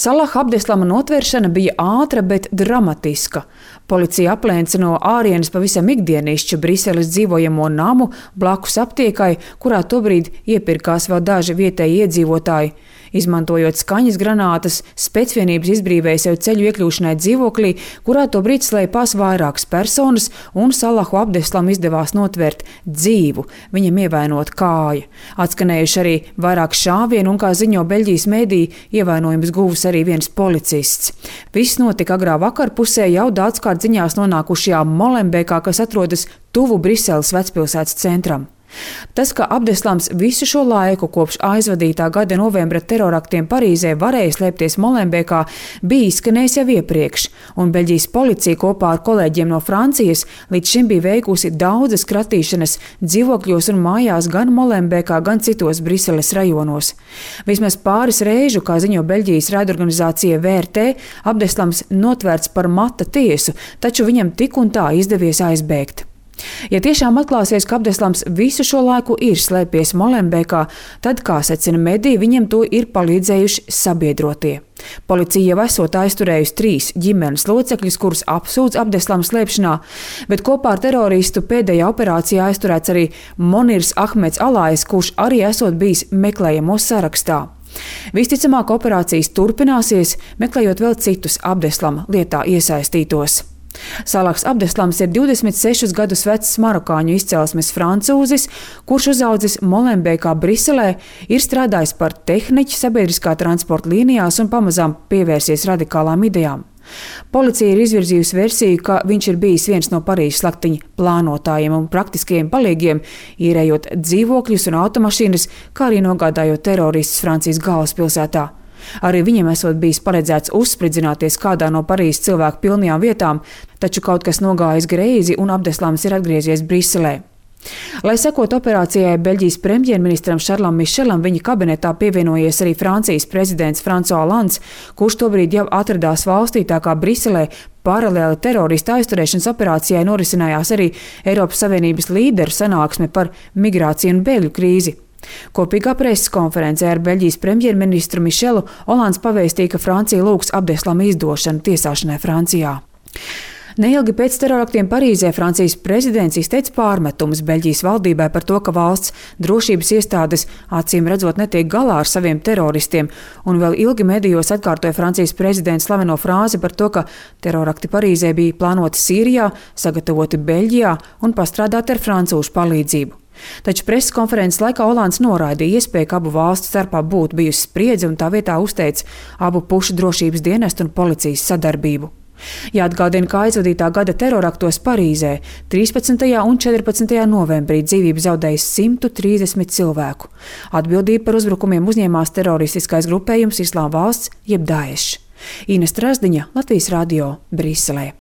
Salaha Abdeslama notvēršana bija ātra, bet dramatiska. Policija aplēca no ārienes pavisam ikdienišķu Briseles dzīvojamo namu blakus aptiekai, kurā tobrīd iepirkās vēl daži vietēji iedzīvotāji. Izmantojot skaņas granātas, specvienības izbrīvēja sev ceļu iekļūšanai dzīvoklī, kurā tobrīd slēpās vairākas personas, un Salahu Abdeslam izdevās notvērt dzīvu, viņam ievainot kāju. Atskanējuši arī vairāk šāvienu, un, kā ziņo Beļģijas mēdī, ievainojums guvis arī viens policists. Viss notika agrā vakarpusē jau daudzkārt ziņās nonākušajā Molenbeekā, kas atrodas tuvu Briseles vecpilsētas centram. Tas, ka Abdeslams visu šo laiku kopš aizvadītā gada novembra teroraktiem Parīzē varēja slēpties Molenbeekā, bija izskanējis jau iepriekš, un Beļģijas policija kopā ar kolēģiem no Francijas līdz šim bija veikusi daudzas kratīšanas dzīvokļos un mājās gan Molenbeekā, gan citos Briseles rajonos. Vismaz pāris reižu, kā ziņo Beļģijas raidorganizācija VRT, Abdeslams notvērts par mata tiesu, taču viņam tik un tā izdevies aizbēgt. Ja tiešām atklāsies, ka Abdeslams visu šo laiku ir slēpies Molenbeekā, tad, kā secina mediji, viņam to ir palīdzējuši sabiedrotie. Policija jau esot aizturējusi 3 ģimenes locekļus, kurus apsūdz Abdeslama slēpšanā, bet kopā ar teroristu pēdējā operācijā aizturēts arī Monirs Ahmeds Alājs, kurš arī esot bijis meklējamo sarakstā. Visticamāk, operācijas turpināsies, meklējot vēl citus Abdeslama lietā iesaistītos. Salahs Abdeslams ir 26 gadus vecs marokāņu izcelsmes francūzis, kurš uzaudzis Molenbeekā, Briselē, ir strādājis par tehniķi sabiedriskā transporta līnijās un pamazām pievērsies radikālām idejām. Policija ir izvirzījusi versiju, ka viņš ir bijis viens no Parīzes slaktiņa plānotājiem un praktiskajiem palīgiem, īrējot dzīvokļus un automašīnas, kā arī nogādājot teroristus Francijas galvaspilsētā. Arī viņam esot bijis paredzēts uzspridzināties kādā no Parīzes cilvēku pilnajām vietām, taču kaut kas nogājis greizi un Abdeslams ir atgriezies Briselē. Lai sekot operācijai, Beļģijas premjerministram Šarlam Mišelam viņa kabinetā pievienojies arī Francijas prezidents François Hollands, kurš tobrīd jau atradās valstī, tā kā Briselē paralēli terorista aizturēšanas operācijai norisinājās arī Eiropas Savienības līderu sanāksme par migrāciju un bēgļu krīzi. Kopīgā preses konferencē ar Beļģijas premjerministru Mišelu Hollands pavēstīja, ka Francija lūgs Abdeslama izdošanu tiesāšanai Francijā. Neilgi pēc teroraktiem Parīzē Francijas prezidents izteica pārmetumus Beļģijas valdībai par to, ka valsts drošības iestādes acīm redzot netiek galā ar saviem teroristiem, un vēl ilgi medijos atkārtoja Francijas prezidents slaveno frāzi par to, ka terorakti Parīzē bija plānoti Sīrijā, sagatavoti Beļģijā un pastrādāti ar francūžu palīdzību. Taču preses konferences laikā Hollands noraidīja iespēju, ka abu valstu starpā būtu bijusi spriedze, un tā vietā uzteica abu pušu drošības dienestu un policijas sadarbību. Jāatgādina, ka aizvadītā gada teroraktos Parīzē 13. un 14. novembrī dzīvību zaudējis 130 cilvēku. Atbildību par uzbrukumiem uzņēmās teroristiskais grupējums Islāma valsts jeb Daesh. Ines Trasdiņa, Latvijas radio, Briselē.